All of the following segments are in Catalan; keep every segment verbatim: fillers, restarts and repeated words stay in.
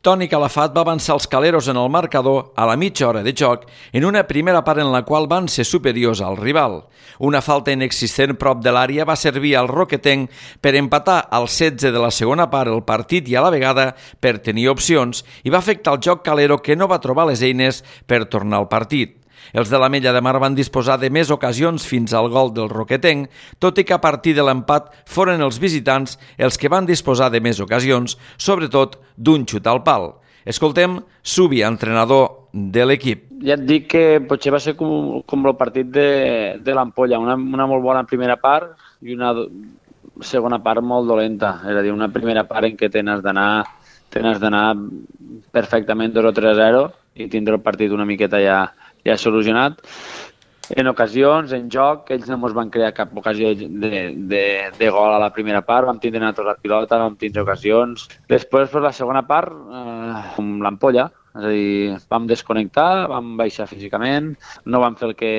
Toni Calafat va avançar els caleros en el marcador a la mitja hora de joc en una primera part en la qual van ser superiors al rival. Una falta inexistent prop de l'àrea va servir al roquetenc per empatar al setze de la segona part el partit i a la vegada per tenir opcions i va afectar el joc calero que no va trobar les eines per tornar al partit. Els de l'Ametlla de Mar van disposar de més ocasions fins al gol del roquetenc, tot i que a partir de l'empat foren els visitants els que van disposar de més ocasions, sobretot d'un xut al pal. Escoltem Subi, entrenador de l'equip. Ja et dic que potser va ser com, com el partit de, de l'Ampolla, una, una molt bona primera part i una segona part molt dolenta. És a dir, una primera part en què tens d'anar tens d'anar perfectament dos o tres a zero i tindre el partit una miqueta ja ja solucionat. En ocasions, en joc, ells no ens van crear cap ocasió de, de, de gol a la primera part, vam tindre nosaltres la pilota, vam tindre ocasions. Després, per la segona part, eh, com l'Ampolla, és a dir, vam desconnectar, vam baixar físicament, no vam fer el que,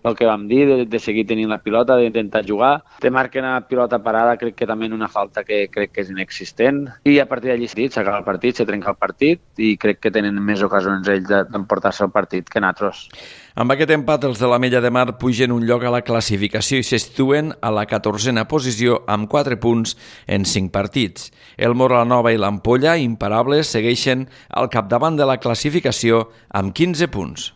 el que vam dir, de, de seguir tenint la pilota, d'intentar jugar. Te marquen a pilota parada, crec que també una falta que crec que és inexistent. I a partir d'allí s'acaba el partit, se trenca el partit i crec que tenen més ocasions ells d'emportar-se el partit que nosaltres. Amb aquest empat, els de l'Ametlla de Mar pugen un lloc a la classificació i se situen a la catorzena posició amb quatre punts en cinc partits. El Moralanova i l'Ampolla, imparables, segueixen al capdavant de la classificació amb quinze punts.